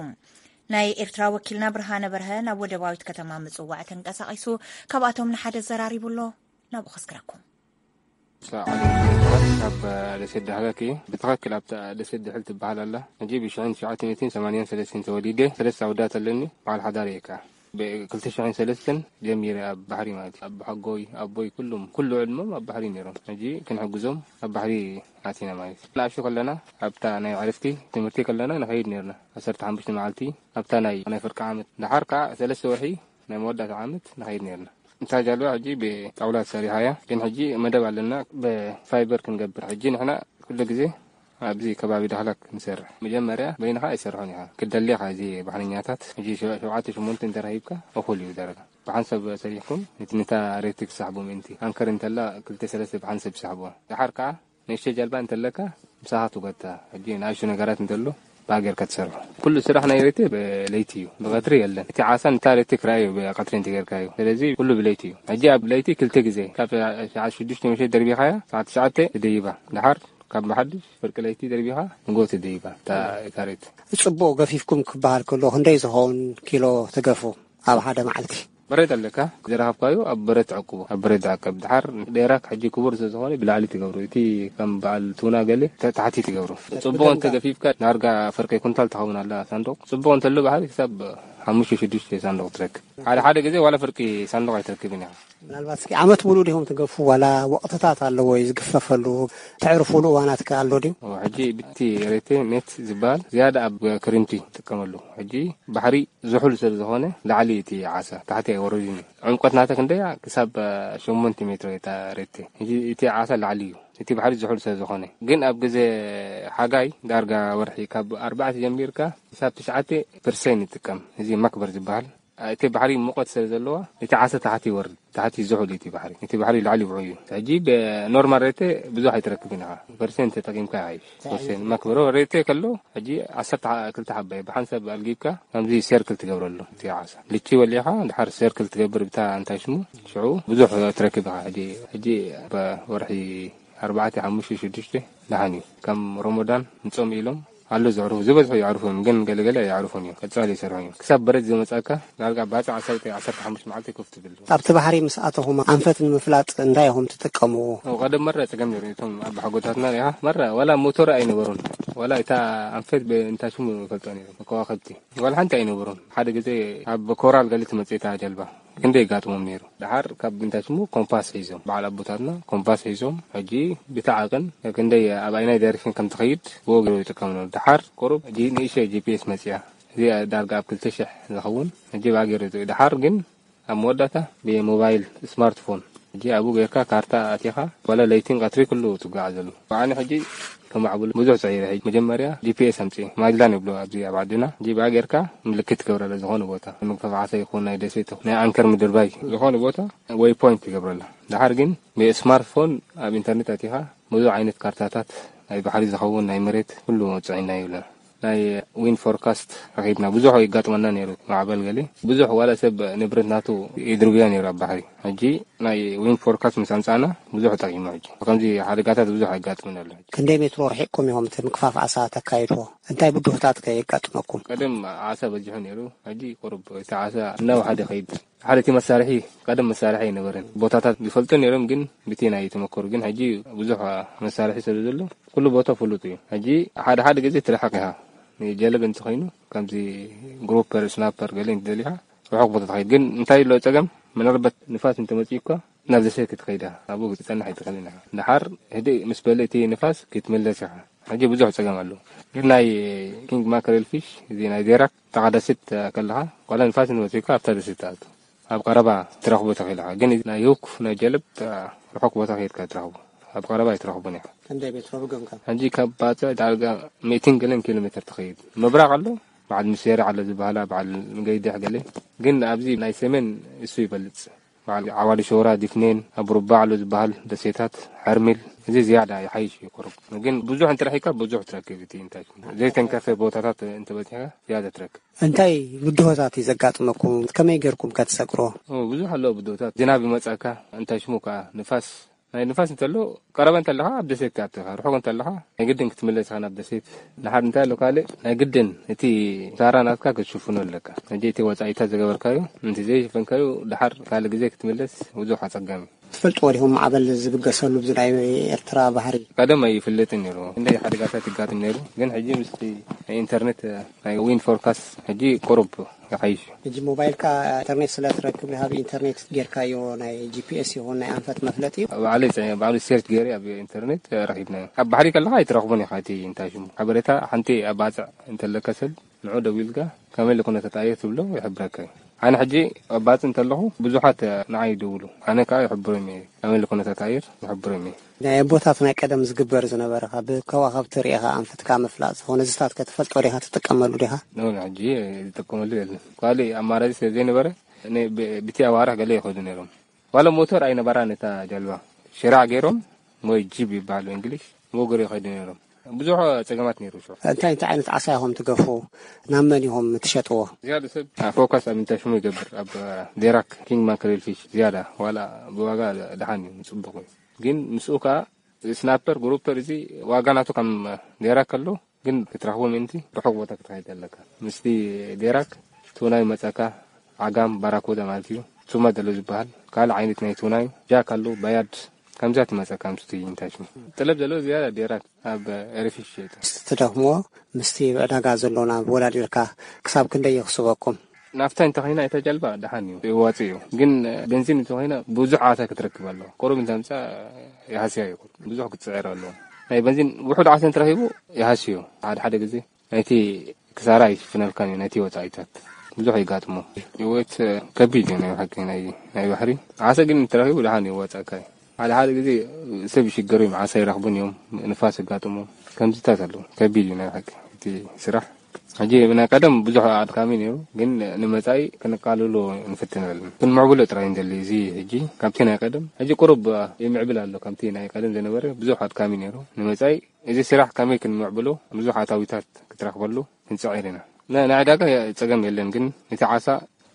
ናይ ኤርትራ ወኪልና ብርሃነ በርሀ ናብ ወደባዊት ከተማ ምጽዋዕ ተንቀሳቒሱ ካብኣቶም ንሓደ ዘራሪቡ ኣሎ። ናብኡ ከስግረኩም። ካብ ደሴት ዳህላክ እየ። ብትኽክል ኣብታ ደሴት ድሕል ትበሃል ኣላ። ሕጂ ብሽሕን ትሽዓተ ሚእትን ሰማንያን ሰለስተን ተወሊደ። ሰለስተ ኣወዳት ኣለኒ። በዓል ሓዳር እየ ከኣ። ብክልተ ሽሕን ሰለስተን ጀሚረ ኣብ ባሕሪ ማለት እዩ። ኣቦሓጎይ፣ ኣቦይ፣ ኩሉም፣ ኩሉ ዕድሞም ኣብ ባሕሪ ነይሮም። ሕጂ ክንሕግዞም ኣብ ባሕሪ ኣቲና ማለት እዩ። ንኣሽቱ ከለና ኣብታ ናይ ዕረፍቲ ትምህርቲ ከለና ንኸይድ ነይርና። ዓሰርተ ሓሙሽተ መዓልቲ ኣብታ ናይ፣ ናይ ፍርቂ ዓመት። ደሓር ከኣ ሰለስተ ወርሒ ናይ መወዳእታ ዓመት ንኸይድ ነይርና። እታ ጃልባ ሕጂ ብጣውላ ተሰሪሓ እያ፣ ግን ሕጂ መደብ ኣለና ብፋይበር ክንገብር። ሕጂ ንሕና ኩሉ ግዜ ኣብዚ ከባቢ ዳህላክ ንሰርሕ። መጀመርያ በይንኻ ኣይሰርሖን ኢኻ፣ ክትደሊ ኢኻ። እዚ ባሕረኛታት ሕጂ ሸ-፣ ሸውዓተ ሸሞንተ እንተረኺብካ እኹል እዩ ደረጃ። ብሓንሳብ ሰሪሕኩም ነቲ፣ ነታ ሬክቲ ክሰሕቡ ምእንቲ። ኣንከር እንተላ ክልተ ሰለስተ ብሓንሳብ ይሰሕብዋ። ደሓር ከኣ ንእሽቶ ጃልባ እንተለካ ምሳኻ ትጎታ። ሕጂ ንኣሽቱ ነገራት እንተሎ ብኣ ጌርካ ትሰርሖ። ኩሉ ስራሕ ናይ ሬክቲ ብለይቲ እዩ፣ ብቐትሪ የለን። እቲ ዓሳ ንታ ሬክቲ ክረኣዩ ብቐትሪ እንተጌርካዮ። ስለዚ ኩሉ ብለይቲ እዩ። ሕጂ ኣብ ለይቲ ክልተ ግዜ ካብ ሰዓት ሽዱሽተ ምሸት ደርቢኻያ ሰዓት ትሽዓተ ትደይባ። ደሓር ካብ መሓድሽ ፍርቂ ለይቲ ደርቢኻ ንጎ ትደይባ እታ፣ እታ ሬክቲ። ጽቡቕ ገፊፍኩም ክበሃል ከሎ ክንደይ ዝኸውን ኪሎ ትገፉ ኣብ ሓደ መዓልቲ? በረድ ኣለካ፣ ዝረኸብካዮ ኣብ በረድ ትዕቅቦ፣ ኣብ በረድ ትዕቀብ። ድሓር ዴራክ ሕጂ ክቡር ስለ ዝኾነ ብላዕሊ ትገብሮ፣ እቲ ከም በዓል ቱና ገለ ተ-፣ ታሕቲ ትገብሮ። ጽቡቕ እንተ ገፊፍካ ዳርጋ ፍርቂ ኩንታል ትኸውን ኣላ ሳንዱቕ። ጽቡቕ እንተሎ ባሕሪ ክሳብ ሓሙሽተ ሽዱሽተ ሳንዱቕ ትረክብ። ሓደ ሓደ ግዜ ዋላ ፍርቂ ሳንዱቕ ኣይትረክብን ኢኻ። ምናልባት እስኪ ዓመት ሙሉእ ዲኹም ትገፉ ዋላ ወቕትታት ኣለዎ ዝግፈፈሉ፣ ተዕርፉሉ እዋናት ከ ኣሎ ድዩ? ሕጂ ብቲ ሬቴ ኔት ዝበሃል ዝያዳ ኣብ ክሪምቲ ይጥቀመሉ። ሕጂ ባሕሪ ዝሑል ስለ ዝኾነ ላዕሊ እቲ ዓሳ፣ ታሕቲ ኣይወርድን እዩ። ዕምቆት ናታ ክንደያ ክሳብ ሸሞንተ ሜትሮ እያ እታ ሬቴ። ሕጂ እቲ ዓሳ ላዕሊ እዩ። እቲ ባሕሪ ዝሑል ስለ ዝኾነ። ግን ኣብ ግዜ ሓጋይ ዳርጋ ወርሒ ካብ ኣርባዕተ ጀሚርካ ክሳብ ትሽዓተ ፐርሰንት ይጥቀም። እዚ መክበር ዝበሃል። እቲ ባሕሪ ሙቐት ስለ ዘለዋ፣ እቲ ዓሳ ታሕቲ ይወርድ፣ ታሕቲ ዝሑል እዩ እቲ ባሕሪ። እቲ ባሕሪ ላዕሊ ይውዑ እዩ። ሕጂ ብኖርማል ሬቴ ብዙሕ ኣይትረክብን ኢኻ። ፐርሰንት ተጠቂምካ ይሓይሽ። ፐርሰንት መክበሮ ሬቴ ከሎ፣ ሕጂ ዓሰርተ ክልተ ሓባ እዩ። ብሓንሳብ ኣልጊብካ፣ ከምዚ ሰርክል ትገብረሉ፣ እቲ ዓሳ። ልቺ ወሊኻ፣ ድሓር ሰርክል ትገብር ብታ እንታይ ሽሙ፣ ሽዑ ብዙሕ ትረክብ ኢኻ። ሕጂ፣ ሕጂ ብወርሒ ኣርባዕተ፣ ሓሙሽተ፣ ሽዱሽተ ደሓን እዩ። ከም ሮሞዳን ንጾም ኢሎም ኣሎ ዘዕርፉ፣ ዝበዝሑ የዕርፉ እዮም፣ ግን ገለገለ የዕርፉን እዮም። ቀጻሊ ይሰርሑ እዮም። ክሳብ በረድ ዝመጻካ፣ ዳርጋ ባጽዕ ዓሰርተ፣ ዓሰርተ ሓሙሽተ መዓልቲ ኮፍ ትብል። ኣብቲ ባሕሪ ምስ ኣተኹም ኣንፈት ንምፍላጥ እንታይ ኢኹም ትጥቀምዎ? ኣብ ቀደም መረ ጸገም ነይሩ። እቶም ኣባሓጎታትና ሪኢኻ፣ መረ ዋላ ሞቶር ኣይነበሩን። ዋላ እታ ኣንፈት ብ-፣ እንታይ ሽሙ ይፈልጦ ነይሩ፣ ከዋኽብቲ። ዋላ ሓንቲ ኣይነበሩን። ሓደ ግዜ ኣብ ኮራል ገለ ትመጽእ እታ ጀልባ። ክንደይ የጋጥሞም ነይሩ። ደሓር ካብ እንታይ ሽሙ ኮምፓስ ሒዞም፣ በዓል ኣቦታትና ኮምፓስ ሒዞም፣ ሕጂ ብቲ ዓቕን ክንደይ ኣብ ኣይናይ ዳይሬክሽን ከም ትኸይድ ብኡ ገይሩ ይጥቀምሉ። ደሓር ቁሩብ ሕጂ ንእሽተይ ጂ ፒ ኤስ መጽያ። እዚኣ ዳርጋ ኣብ ክልተ ሽሕ ዝኸውን ሕጂ ብኣ ገይሩ ይጥ-፣ ደሓር ግን ኣብ መወዳእታ ብሞባይል ስማርትፎን፣ ሕጂ ኣብኡ ጌርካ ካርታ ኣቲኻ፣ ዋላ ለይትን ቀትሪ ኩሉ ትጓዓዘሉ። ብዓኒ ሕጂ ከማዕብሉ ብዙሕ ጸዒረ። ሕጂ መጀመርያ ጂ ፒ ኤስ ኣምጽኤ፣ ማጅላን ይብሉ ኣብዚ ኣብ ዓድና። ሕጂ ብኣ ጌርካ ምልክት ትገብረላ ዝኾነ ቦታ፣ ምግፋፍ ዓሳ ይኹን ናይ ደሴት ይኹን ናይ ኣንከር ምድርባይ ዝኾነ ቦታ ወይ ፖይንት ትገብረላ። ደሓር ግን ብስማርትፎን ኣብ ኢንተርኔት ኣቲኻ ብዙሕ ዓይነት ካርታታት ናይ ባሕሪ ዝኸውን ናይ መሬት ኩሉ ጽዒና ይብለና። ናይ ዊንድ ፎርካስት ረኺብና። ብዙሕ የጋጥመና ነይሩ። ማዕበል ገለ ብዙሕ ዋላ ሰብ ንብረት ናቱ ይድርብዮ ነይሩ ኣብ ባሕሪ። ሕጂ ናይ ዊንድ ፎርካስት ምስ ኣምጻእና ብዙሕ ጠቒሙ። ሕጂ ከምዚ ሓደጋታት ብዙሕ ኣጋጥመና ኣሎ። ሕጂ ክንደይ ሜትሮ ርሒቕኩም ኢኹም እቲ ምክፋፍ ዓሳ ተካይድዎ? እንታይ ብድሆታት ከ የጋጥመኩም? ቀደም ዓሳ በዚሑ ነይሩ። ሕጂ ቁሩብ እቲ ዓሳ እናወሓደ ይኸይድ። ሓደ እቲ መሳርሒ፣ ቀደም መሳርሒ ኣይነበረን። ቦታታት ዝፈልጡ ነይሮም፣ ግን ብቲ ናይ ተመክሮ ግን ሕጂ ብዙሕ መሳርሒ ስለ ዘሎ ኩሉ ቦታ ፍሉጥ እዩ። ሕጂ ሓደ ሓደ ግዜ ትርሕቕ ኢኻ። ንጀለብ እንተኾይኑ ከምዚ ግሩፐር፣ ስናፐር ገለ እንተደሊኻ ርሑቕ ቦታ ትኸይድ። ግን እንታይ ኣሎ ጸገም? ምናልባት ንፋስ እንተመጺኡ እኳ ናብ ደሴት ክትኸይድ ኢኻ። ኣብኡ ክትጸንሕ ኣይትኽእልን ኢኻ። ደሓር ህድእ ምስ በለ እቲ ንፋስ ክትምለስ ኢኻ። ሕጂ ብዙሕ ጸገም ኣሎ። ግን ናይ ኪንግ ማከሬል ፊሽ፣ እዚ ናይ ዴራክ፣ ጥቓ ደሴት ከለኻ፣ ዋላ ንፋስ እንተመጺኡካ ኣብታ ደሴት ትኣቱ። ኣብ ቀረባ ትረኽቦ ተኽኢልኻ። ግን ናይ ሁክ፣ ናይ ጀለብ፣ ርሑቕ ቦታ ከይድካ ትረኽቦ። ኣብ ቀረባ ኣይትረኽቦን ኢኻ። ክንደይ ሜትሮ ብገምካ? ሕጂ ካብ ባጽዕ ዳርጋ ሚእትን ገለን ኪሎ ሜትር ትኸይድ። ምብራቕ ኣሎ፣ በዓል ምሴሪ ኣሎ ዝበሃላ፣ በዓል ገይድሕ ገለ። ግን ኣብዚ ናይ ሰሜን እሱ ይበልጽ። በዓል ዓዋዲ ሸውራ፣ ዲፍኔን፣ ኣብ ሩባ ኣሎ ዝበሃል ደሴታት፣ ሐርሚል፣ እዚ ዝያዳ ይሓይሽ እዩ ቁሩብ። ግን ብዙሕ እንተ ረኺብካ ብዙሕ ትረክብ። እቲ እንታይ ዘይተንከፈ ቦታታት እንተበጺሕካ ዝያዳ ትረክብ። እንታይ ብድሆታት እዩ ዘጋጥመኩም? ከመይ ጌርኩም ከ ትሰግርዎ? ኦ፣ ብዙሕ ኣለዎ ብድሆታት። ዝናብ ይመጸካ፣ እንታይ ሽሙ ከኣ ንፋስ፣ ናይ ንፋስ እንተሎ ቀረባ እንተለኻ ኣብ ደሴት ትኣትኻ፣ ርሑቕ እንተለኻ ናይ ግድን ክትምለስ ኢኻ ናብ ደሴት። ድሓር እንታይ ኣሎ ካልእ ናይ ግድን እቲ ኪሳራ ናትካ ክትሽፍኖ ኣለካ። ሕጂ እቲ ወጻኢታት ዝገበርካዮ፣ ነቲ ዘይሸፈንካዮ ድሓር ካልእ ግዜ ክትምለስ ብዙሕ ኣጸጋሚ። ትፈልጥዎ ዲኹም ማዕበል ዝብገሰሉ ብዚ ናይ ኤርትራ ባሕሪ? ቀደም ኣይፍለጥን ነይሩ። ክንደይ ሓደጋታት ይጋጥም ነይሩ። ግን ሕጂ ምስቲ ናይ ኢንተርኔት፣ ናይ ዊንድ ፎርካስት ሕጂ ቁሩብ ይሓይሽ እዩ። ሕጂ ሞባይልካ ኢንተርኔት ስለ ትረክብ፣ ዲኻ ብኢንተርኔት ጌርካዮ ናይ ጂ ፒ ኤስ ይኹን ናይ ኣንፈት መፍለጢ? ባዕለይ ጸ-፣ ባዕሉ ሴርች ገይረ ኣብ ኢንተርኔት ረኺብናዮ። ኣብ ባሕሪ ከለኻ ኣይትረኽቦን ኢኻ እቲ እንታይ ሽሙ ሓበሬታ። ሓንቲ ኣብ ባጽዕ እንተለካ ሰብ ንዑ ደዊልካ ከመይ ኢሉ ኩነታት ኣየር ትብሎ ይሕብረካ እዩ። ኣነ ሕጂ ኣብ ባጽዕ እንተለኹ ብዙሓት ንዓይ ይድውሉ። ኣነ ከኣ ይሕብሮም እየ። ከመይ ኢሉ ኩነታት ኣየር ይሕብሮም እየ። ናይ ኣቦታት ናይ ቀደም ዝግበር ዝነበረ፣ ካብ ከዋኽብቲ ርኢኻ ኣንፈትካ ምፍላጥ ዝኾነ፣ እዚታት ከ ትፈልጦ ዲኻ? ትጥቀመሉ ዲኻ? ኖ፣ ሕጂ ዝጥቀመሉ የለን። ካልእ ኣማራጺ ስለ ዘይነበረ፣ ነ-፣ ብ-፣ ብቲ ኣዋርሕ ገለ ይኸዱ ነይሮም። ዋላ ሞተር ኣይነበራን እታ ጀልባ። ሽራዕ ገይሮም ወይ ጂብ ይበሃል ብእንግሊሽ፣ ብእግሪ ይኸዱ ነይሮም። ብዙሕ ጸገማት ነይሩ ሽዑ። እንታይ እንታይ ዓይነት ዓሳ ኢኹም ትገፉ? ናብ መን ኢኹም ትሸጥዎ? ዝያዳ ሰብ ፎካስ ኣብ እንታይ ሽሙ ይገብር፣ ኣብ ዴራክ፣ ኪንግ ማክሬል ፊሽ ዝያዳ፣ ዋላ ብዋጋ ደሓን እዩ፣ ጽቡቕ እዩ። ግን ምስኡ ከኣ ስናፐር፣ ግሩፐር፣ እዚ ዋጋ ናቱ ከም ዴራክ ከሎ፣ ግን ክትረኽቦ ምእንቲ ርሑቕ ቦታ ክትኸይድ ኣለካ። ምስቲ ዴራክ ቱና ይመጸካ፣ ዓጋም፣ ባራኩዳ ማለት እዩ። ሱማ ዘሎ ዝበሃል ካልእ ዓይነት ናይ ቱና እዩ። ጃክ ኣሎ፣ ባያድ፣ ከምዚኣ ትመጸካ ምስቲ እንታይ ሽሙ። ጥለብ ዘለዎ ዝያዳ ዴራክ ኣብ ኤርፊሽ ይሸይጥ። ትደኽምዎ ምስቲ ዕዳጋ ዘሎ ናብ ወዳዲርካ ክሳብ ክንደይ የኽስበኩም? ናፍታ እንተኾይና እታ ጀልባ ደሓን እዩ፣ የዋጽእ እዩ። ግን ቤንዚን እንተኾይና ብዙሕ ዓሳ ክትረክብ ኣለዋ። ቁሩብ እንተምጻ ይሃስያ እዩ። ብዙሕ ክትጽዕር ኣለዋ። ናይ ቤንዚን ውሑድ ዓሳ እንተረኺቡ ይሃስዮ። ሓደ ሓደ ግዜ ናይቲ ክሳራ ኣይሽፍነልካን እዩ፣ ናይቲ ወጻኢታት ብዙሕ የጋጥሞ። ህይወት ከቢድ እዩ ናይ ብሓቂ ናይ፣ ናይ ባሕሪ። ዓሳ ግን እንተረኺቡ ደሓን የዋጽኣካ እዩ። ሓደ ሓደ ግዜ ሰብ ይሽገሩ እዮም፣ ዓሳ ይረኽቡን እዮም፣ ንፋስ የጋጥሞም። ከምዚታት ኣለዉ። ከቢድ እዩ ናይ ሓቂ እቲ ስራሕ። ሕጂ ናይ ቀደም ብዙሕ ኣድካሚ ነይሩ፣ ግን ንመጻኢ ክንቃለሎ ንፍትን ኣለና። ክንምዕብሎ ጥራይ እንደሊ እዚ ሕጂ ካብቲ ናይ ቀደም ሕጂ ቁሩብ ይምዕብል ኣሎ። ከምቲ ናይ ቀደም ዝነበረ ብዙሕ ኣድካሚ ነይሩ። ንመጻኢ እዚ ስራሕ ከመይ ክንምዕብሎ ብዙሕ ኣታዊታት ክትረኽበሉ ክንጽዕር ኢና። ን-፣ ንዕዳጋ የ-፣ ጸገም የለን፣ ግን እቲ ዓሳ፣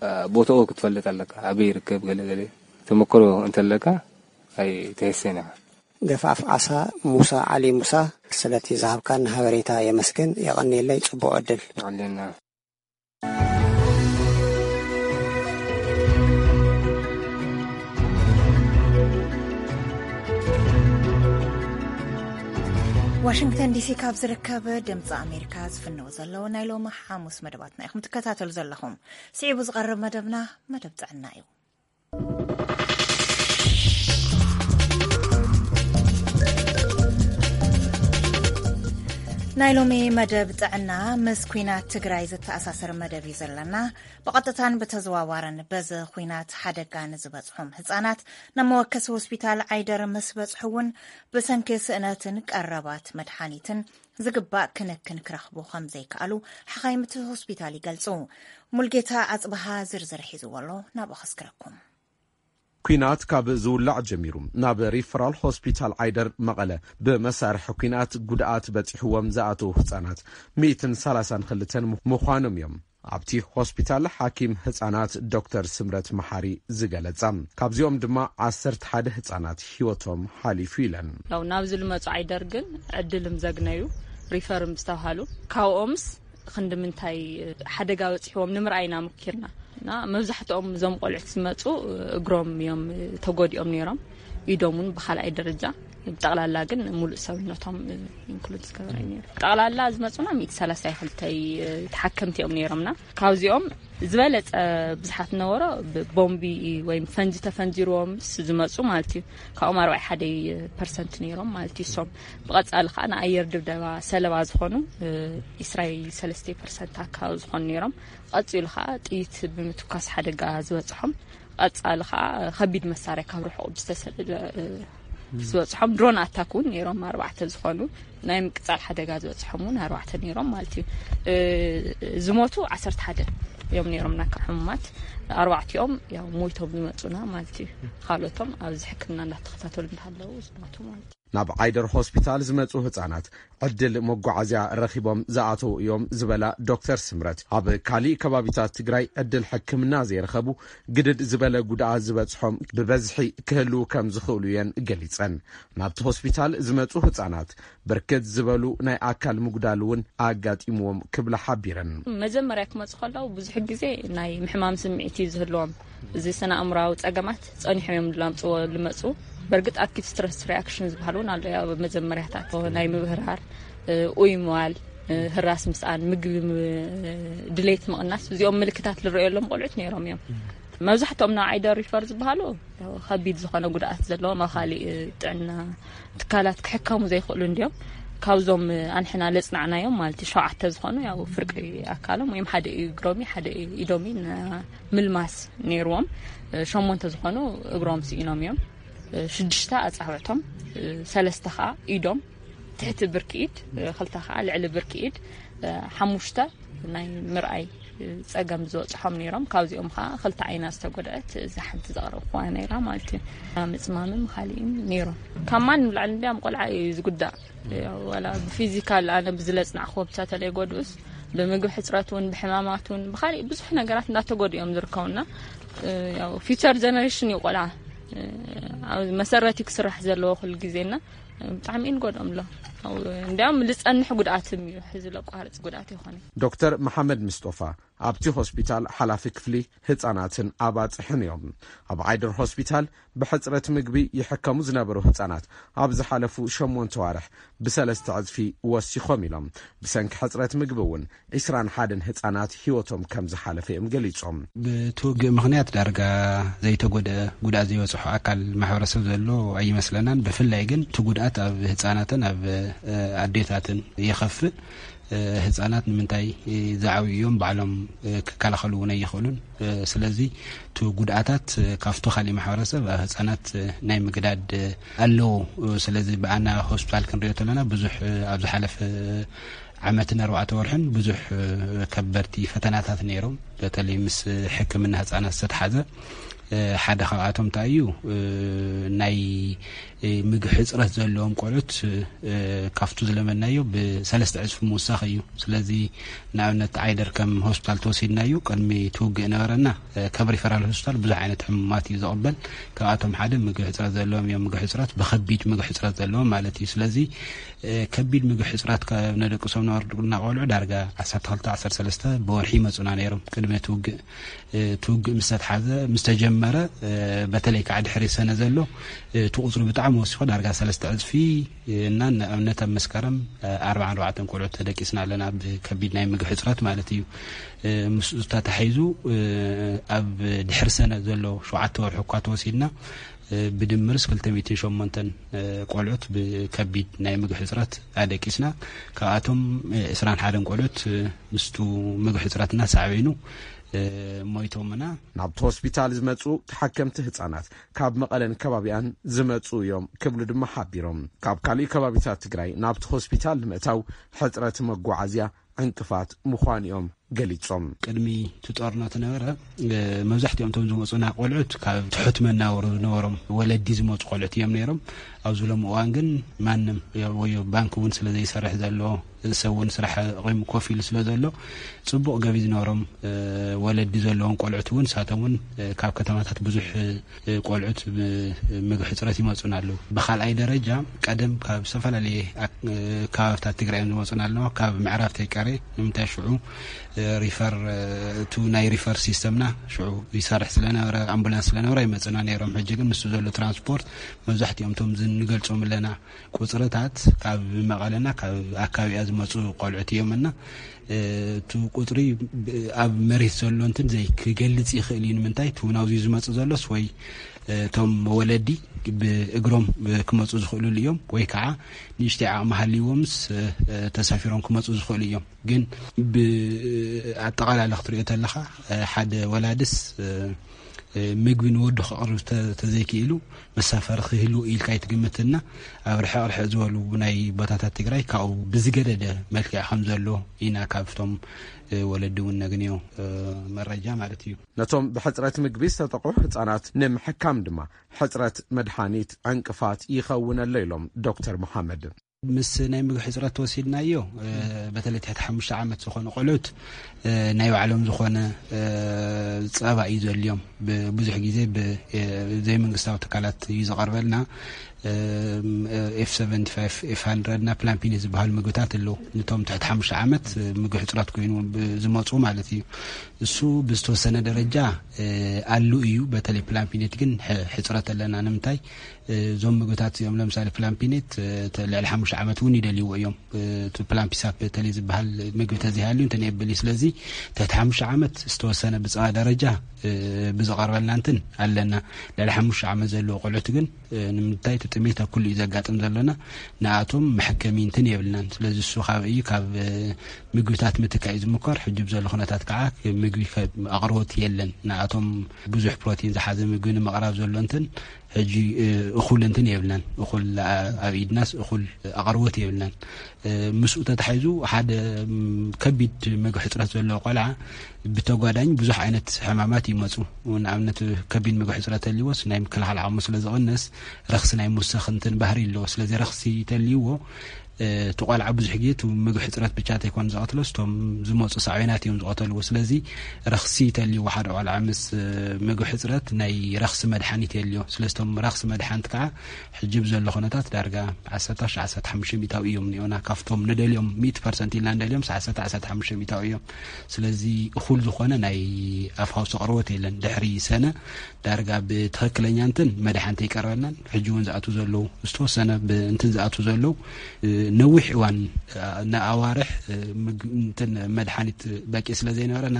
እ፣ ቦታኡ ክትፈልጥ ኣለካ። ኣበይ ይርከብ ገለ ገለ ተመክሮ እንተለካ ኣይትህሰን ኢኻ። ገፋፍ ዓሳ ሙሳ ዓሊ ሙሳ፣ ስለቲ ዝሃብካን ሃበሬታ የመስግን። የቐንየለይ፣ ጽቡቕ ዕድል። ይቐንየልና። ዋሽንግተን ዲሲ ካብ ዝርከብ ድምፂ ኣሜሪካ ዝፍነው ዘለዉ ናይ ሎሚ ሓሙስ መደባትና ኢኹም ትከታተሉ ዘለኹም። ስዒቡ ዝቐርብ መደብና መደብ ጥዕና እዩ። ናይ ሎሚ መደብ ጥዕና ምስ ኲናት ትግራይ ዝተኣሳሰር መደብ እዩ ዘለና። ብቐጥታን ብተዘዋዋርን በዚ ኲናት ሓደጋ ንዝበጽሖም ህጻናት ናብ መወከሲ ሆስፒታል ዓይደር ምስ በጽሑ እውን ብሰንኪ ስእነትን ቀረባት መድሓኒትን ዝግባእ ክንክን ክረኽቡ ከም ዘይከኣሉ ሓኻይም እቲ ሆስፒታል ይገልጹ። ሙልጌታ ኣጽብሃ ዝርዝር ሒዝዎ ኣሎ፣ ናብኡ ከስክረኩም። ኲናት ካብ ዝውላዕ ጀሚሩ ናብ ሪፈራል ሆስፒታል ዓይደር መቐለ ብመሳርሒ ኲናት ጉድኣት በፂሕዎም ዝኣተዉ ህፃናት ሚእትን ሰላሳን ክልተን ምዃኖም እዮም ኣብቲ ሆስፒታል ሓኪም ህፃናት ዶክተር ስምረት መሓሪ ዝገለፃ። ካብዚኦም ድማ ዓሰርተ ሓደ ህፃናት ህይወቶም ሓሊፉ ኢለን። ያው ናብዚ ልመፁ ዓይደር ግን ዕድልም ዘግነዩ ሪፈርም ዝተባሃሉ ካብኦምስ ክንዲ ምንታይ ሓደጋ በፂሕዎም ንምርኣይ ኢና ሞኪርና። እና መብዛሕትኦም እዞም ቆልዑት ዝመፁ እግሮም እዮም ተጎዲኦም ነይሮም። ኢዶም እውን ብካልኣይ ደረጃ፣ ብጠቕላላ ግን ሙሉእ ሰውነቶም ኢንክሉድ ዝገበረ እዩ ነይሩ። ጠቕላላ ዝመፁና ሚእቲ ሰላሳ ክልተ ተሓከምቲ እዮም ነይሮምና። ካብዚኦም ዝበለፀ ብዙሓት ነበሮ ብቦምቢ ወይም ፈንጂ ተፈንጂርዎም ዝመፁ ማለት እዩ። ካብኦም ኣርባዕተ ሓደ ፐርሰንት ነይሮም ማለት እዩ። እሶም ብቐፃሊ ከዓ ንኣየር ድብደባ ሰለባ ዝኾኑ ኢስራኤል ሰለስተ ፐርሰንት ኣካባቢ ዝኾኑ ነይሮም። ቀፂሉ ከዓ ጥይት ብምትኳስ ሓደጋ ዝበፅሖም፣ ቀፃሊ ከዓ ከቢድ መሳርያ ካብ ርሑቕ ብዝተሰደደ ዝበፅሖም ድሮን ኣታክ እውን ነይሮም ኣርባዕተ ዝኾኑ፣ ናይ ምቅፃል ሓደጋ ዝበፅሖም እውን ኣርባዕተ ነይሮም ማለት እዩ። ዝሞቱ ዓሰርተ ሓደ እዮም ነይሮም ናካ ሕሙማት፣ ኣርባዕቲኦም ያው ሞይቶም ዝመፁና ማለት እዩ። ካልኦቶም ኣብዚ ሕክምና እንዳተኸታተሉ እንዳሃለዉ ዝሞቱ ማለት እዩ። ናብ ዓይደር ሆስፒታል ዝመፁ ህፃናት ዕድል መጓዓዝያ ረኺቦም ዝኣተዉ እዮም ዝበላ ዶክተር ስምረት፣ ኣብ ካሊእ ከባቢታት ትግራይ ዕድል ሕክምና ዘይረኸቡ ግድድ ዝበለ ጉድኣት ዝበፅሖም ብበዝሒ ክህልዉ ከም ዝኽእሉ እየን ገሊፀን። ናብቲ ሆስፒታል ዝመፁ ህፃናት ብርክት ዝበሉ ናይ ኣካል ምጉዳል እውን ኣጋጢምዎም ክብላ ሓቢረን። መጀመርያ ክመፁ ከለዉ ብዙሕ ግዜ ናይ ምሕማም ስምዒት እዩ ዝህልዎም። እዚ ስነ ኣእምራዊ ጸገማት ጸኒሖም እዮም ላምጽዎ ልመጹ። በርግጥ ኣኪት ስትረስ ሪኣክሽን ዝበሃል እውን ኣሎ። ያው መጀመርያታት ናይ ምብህራር፣ እ፣ ኡይ ምባል፣ እ፣ ህራስ ምስኣን፣ ምግቢ ም-፣ ድሌት ምቕናስ፣ እዚኦም ምልክታት ዝረኣየሎም ቆልዑት ነይሮም እዮም። መብዛሕትኦም ናብ ዓይደር ሪፈር ዝበሃሉ ያው ከቢድ ዝኾነ ጉድኣት ዘለዎም ኣብ ካሊእ ጥዕና ትካላት ክሕከሙ ዘይኽእሉ እንዲዮም። ካብዞም ኣንሕና ለጽናዕናዮም ማለት እዩ፣ ሸውዓተ ዝኾኑ ያው ፍርቂ ኣካሎም ወይም ሓደ እግሮም እዩ፣ ሓደ ኢዶም እዩ፣ ና-፣ ምልማስ ነይርዎም። ሸሞንተ ዝኾኑ እግሮም ስኢኖም እዮም። ሽዱሽተ ኣጻብዕቶም፣ ሰለስተ ኸኣ ኢዶም፣ ትሕቲ ብርኪ ኢድ፣ ክልተ ኸኣ ልዕሊ ብርኪ ኢድ፣ ሓሙሽተ ናይ ምርኣይ ጸገም ዝበጽሖም ነይሮም። ካብዚኦም ኸኣ ክልተ ዓይና ዝተጎድአት እዛ ሓንቲ ዘቕረብኩዋ ነይራ ማለት እዩ። ምጽማምን ኻሊእን ነይሮም። ካብ ማንም ላዕሊ እንዲያም ቆልዓ እዩ ዝጉዳእ። ያው ዋላ ብፊዚካል ኣነ ብዝለጽናዕክዎ ብቻ ተለይጎድኡስ፣ ብምግቢ ሕጽረት እውን፣ ብሕማማት እውን፣ ብኻሊእ ብዙሕ ነገራት እንዳተጎድኡ እዮም ዝርከቡና። ያው ፊውቸር ጀነሬሽን እዩ ቆልዓ። ኣብ መሰረት እዩ ክስራሕ ዘለዎ ኩሉ ግዜና ብጣዕሚ እዩ ንጎድኦም ኣሎ። ያው እንዲያውም ልጸንሕ ጉድኣትም እዩ፣ ሕዚ ለቋርጽ ጉድኣት ይኾነ። ዶክተር መሓመድ ምስጦፋ ኣብቲ ሆስፒታል ሓላፊ ክፍሊ ህጻናትን ኣባጽሕን እዮም። ኣብ ዓይደር ሆስፒታል ብሕጽረት ምግቢ ይሕከሙ ዝነበሩ ህጻናት ኣብ ዝሓለፉ ሸሞንተ ዋርሕ ብሰለስተ ዕጽፊ ወሲኾም ኢሎም። ብሰንኪ ሕጽረት ምግቢ እውን ዒስራን ሓደን ህጻናት ህይወቶም ከም ዝሓለፈ እዮም ገሊጾም። ብቲ ውግእ ምኽንያት ዳርጋ ዘይተጎድአ፣ ጉድኣት ዘይበጽሖ ኣካል ማሕበረሰብ ዘሎ ኣይመስለናን። ብፍላይ ግን እቲ ጉድኣት ኣብ ህጻናትን ኣብ፣ እ፣ ኣዴታትን ይኸፍእ። ህፃናት ንምንታይ ዝዓብዩ እዮም? ባዕሎም ክከላኸሉ እውን ኣይኽእሉን። ስለዚ እቲ ጉድኣታት ካብቶ ካሊእ ማሕበረሰብ ኣብ ህፃናት ናይ ምግዳድ ኣለዎ። ስለዚ ብኣና ሆስፒታል ክንሪኦ ተለና ብዙሕ ኣብ ዝሓለፈ ዓመትን ኣርባዕተ ወርሕን ብዙሕ ከበድቲ ፈተናታት ነይሮም። በተለይ ምስ ሕክምና ህፃናት ዝተተሓዘ ሓደ ካብኣቶም እንታይ እዩ ናይ ምግቢ ሕፅረት ዘለዎም ቆልዑት ካብቱ ዝለመናዮ ብሰለስተ ዕፅፊ ምውሳኽ እዩ። ስለዚ ንኣብነት ዓይደር ከም ሆስፒታል ተወሲድናዩ ቅድሚ ትውግእ ነበረና ከም ሪፈራል ሆስፒታል ብዙሕ ዓይነት ሕሙማት እዩ ዘቕበል። ካብኣቶም ሓደ ምግቢ ሕፅረት ዘለዎም እዮም። ምግቢ ሕፅረት ብከቢድ ምግቢ ሕፅረት ዘለዎም ማለት እዩ። ስለዚ ከቢድ ምግቢ ሕፅረት ካብ ነደቅሶም ነበርና ቆልዑ ዳርጋ ዓሰርተ ክልተ ዓሰርተ ሰለስተ ብወርሒ ይመፁና ነይሮም ቅድሚ ትውግእ። ትውግእ ምስ ተትሓዘ ምስ ተጀመረ በተለይ ከዓ ድሕሪ ሰነ ዘሎ እቲ ቁፅሪ ብጣዕሚ ወሲኹ ዳርጋ ሰለስተ ዕፅፊ እና ንኣብነት ኣብ መስከረም ኣርባዓን ኣርባዕተን ቆልዑት ተደቂስና ኣለና ብከቢድ ናይ ምግቢ ሕፅረት ማለት እዩ። ምስ ተታሒዙ ኣብ ድሕሪ ሰነ ዘሎ ሸውዓተ ወርሒ እኳ ተወሲድና ብድምርስ ክልተ ሚእትን ሸሞንተን ቆልዑት ብከቢድ ናይ ምግቢ ሕፅረት ኣደቂስና። ካብኣቶም ዕስራን ሓደን ቆልዑት ምስቱ ምግቢ ሕፅረትና ሳዕቤኑ ሞይቶምና። ናብቲ ሆስፒታል ዝመፁ ተሓከምቲ ህፃናት ካብ መቐለን ከባቢኣን ዝመፁ እዮም ክብሉ ድማ ሓቢሮም። ካብ ካልእ ከባቢታት ትግራይ ናብቲ ሆስፒታል ንምእታው ሕፅረት መጓዓዝያ ዕንቅፋት ምዃኑ እዮም ገሊፆም። ቅድሚ እቲ ጦርነት ነበረ መብዛሕትኦም እቶም ዝመፁና ቆልዑት ካብ ትሑት መናበሩ ዝነበሮም ወለዲ ዝመፁ ቆልዑት እዮም ነይሮም። ኣብዚ ሎም እዋን ግን ማንም ወዮ ባንክ እውን ስለ ዘይሰርሕ ዘሎ ሰብ እውን ስራሕ ቂሙ ኮፍ ኢሉ ስለ ዘሎ ፅቡቕ ገቢ ዝነበሮም ወለዲ ዘለዎም ቆልዑት እውን ንሳቶም እውን ካብ ከተማታት ብዙሕ ቆልዑት ምግቢ ሕፅረት ይመፁና ኣለዉ። ብካልኣይ ደረጃ ቀደም ካብ ዝተፈላለየ ከባብታት ትግራይ እዮም ዝመፁና ኣለዋ። ካብ ምዕራብ ተይቀረ ንምንታይ ሽዑ ሪፈር እቲ ናይ ሪፈር ሲስተምና ሽዑ ይሰርሕ ስለነበረ ኣምቡላንስ ስለነበረ ይመፅና ነይሮም። ሕጂ ግን ምስ ዘሎ ትራንስፖርት መብዛሕትኦም እቶም ዝንገልፆም ኣለና ቁፅርታት ካብ መቐለና ካብ ኣካባቢያ ዝመፁ ቆልዑት እዮም እና እቲ ቁፅሪ ኣብ መሬት ዘሎ እንትን ዘይክገልፅ ይኽእል እዩ። ንምንታይ እቲ ናብዚ ዝመፅ ዘሎስ ወይ እቶም ወለዲ ብእግሮም ክመፁ ዝኽእሉሉ እዮም ወይ ከዓ ንእሽተይ ዓቕሚ ሃልይዎምስ ተሳፊሮም ክመፁ ዝኽእሉ እዮም። ግን ብኣጠቓላሊ ክትሪኦ ተለኻ ሓደ ወላድስ ምግቢ ንወዱ ክቕርብ ተዘይክኢሉ መሳፈሪ ክህልዎ ኢልካ ኣይትግምትና። ኣብ ርሕቕ ርሕቕ ዝበሉ ናይ ቦታታት ትግራይ ካብኡ ብዝገደደ መልክዕ ከም ዘሎ ኢና ካብቶም ወለዲ እውን ነግንዮ መረጃ ማለት እዩ። ነቶም ብሕፅረት ምግቢ ዝተጠቑ ህፃናት ንምሕካም ድማ ሕፅረት መድሓኒት ዕንቅፋት ይኸውን ኣሎ ኢሎም ዶክተር መሓመድ። ምስ ናይ ምግቢ ሕፅረት ተወሲድናዮ በተለይ ትሕቲ ሓሙሽተ ዓመት ዝኾነ ቆልዑት ናይ ባዕሎም ዝኾነ ፀባ እዩ ዘልዮም። ብዙሕ ግዜ ብዘይመንግስታዊ ትካላት እዩ ዝቐርበልና። ኤፍ ሰቨንቲ ፋይቭ ኤፍ ሃንድረድ እና ፕላምፒኒ ዝበሃሉ ምግብታት ኣለዉ። ንቶም ትሕቲ ሓሙሽተ ዓመት ምግቢ ሕፅረት ኮይኑ ዝመፁ ማለት እዩ። እሱ ብዝተወሰነ ደረጃ ኣሉ እዩ። በተለይ ፕላምፒኔት ግን ሕፅረት ኣለና። ንምንታይ እዞም ምግብታት እዚኦም ለምሳሌ ፕላምፒኔት ልዕሊ ሓሙሽተ ዓመት እውን ይደልይዎ እዮም። እቲ ፕላምፒሳፕ በተለይ ዝበሃል ምግቢ ተዘይሃልዩ እንትን የብል እዩ። ስለዚ ትሕቲ ሓሙሽተ ዓመት ዝተወሰነ ብፀባ ደረጃ ብዝቐርበልና እንትን ኣለና። ልዕሊ ሓሙሽተ ዓመት ዘለዎ ቆልዑት ግን ንምንታይ እቲ ጥሜት ኣብ ኩሉ እዩ ዘጋጥም ዘለና ንኣቶም መሐከሚ እንትን የብልናን። ስለዚ እሱ ካብ እዩ ካብ ምግብታት ምትካእ እዩ ዝምኮር። ሕጂ ብዘሎ ኩነታት ከዓ ምግቢ ኣቕርቦት የለን። ንኣቶም ብዙሕ ፕሮቲን ዝሓዘ ምግቢ ንምቕራብ ዘሎ እንትን ሕጂ እኹል እንትን የብልናን። እኹል ኣብ ኢድናስ እኹል ኣቕርቦት የብልናን። ምስኡ ተታሒዙ ሓደ ከቢድ ምግቢ ሕፅረት ዘለዎ ቆልዓ ብተጓዳኝ ብዙሕ ዓይነት ሕማማት ይመፁ። ንኣብነት ከቢድ ምግቢ ሕፅረት ተልዎስ ናይ ምክልኻል ዓቕሙ ስለ ዝቕንስ ረኽሲ ናይ ምውሳኽ እንትን ባህሪ ኣለዎ። ስለዚ ረኽሲ ተልዎ እቲ ቆልዓ ብዙሕ ግዜ እቲ ምግቢ ሕፅረት ብቻ ተይኮን ዝቐትሎስ እቶም ዝመፁ ሳዕቤናት እዮም ዝቐተልዎ። ስለዚ ረኽሲ ተልዎ ሓደ ቆልዓ ምስ ምግቢ ሕፅረት ናይ ረኽሲ መድሓኒት የልዮ። ስለዚ እቶም ረኽሲ መድሓኒት ከዓ ሕጂ ብዘሎ ኩነታት ዳርጋ ዓሰርተ ዓሰርተ ሓሙሽተ ሚእታዊ እዮም እኒኦና ካብቶም ንደልዮም ሚእቲ ፐርሰንት ኢልና ንደልዮም ዓሰርተ ዓሰርተ ሓሙሽተ ሚእታዊ እዮም። ስለዚ እኹል ዝኾነ ናይ ኣፍ ሃውሲ ቅርቦት የለን። ድሕሪ ሰነ ዳርጋ ብትኽክለኛ እንትን መድሓንቲ ይቀርበልናን ሕጂ እውን ዝኣቱ ዘለዉ ዝተወሰነ ብእንትን ዝኣቱ ዘለዉ ነዊሕ እዋን፣ ንኣዋርሕ፣ መድሓኒት በቂ ስለ ዘይነበረና፣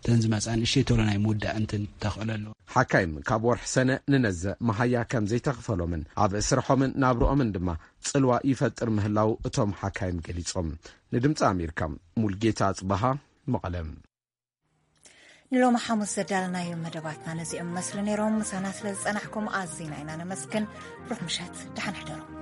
ተን ዝመፃ ንእሽተይ ቶሎ ናይ ምውዳእ እንትን ተኽእሎ ኣለዎ። ሓካይም ካብ ወርሒ ሰነ ንነዘ መሃያ ከም ዘይተኽፈሎምን ኣብ ስርሖምን ናብርኦምን ድማ ፅልዋ ይፈጥር ምህላው እቶም ሓካይም ገሊፆም። ንድምፂ ኣሜሪካ፣ ሙልጌታ ኣፅበሃ፣ መቐለም። ንሎሚ ሓሙስ ዘዳለናዮም መደባትና ነዚኦም መስሉ ነይሮም። ምሳና ስለ ዝጸናሕኩም ኣዝና ኢና ነመስግን። ሩሕ ምሸት፣ ደሓን ሕደሩ።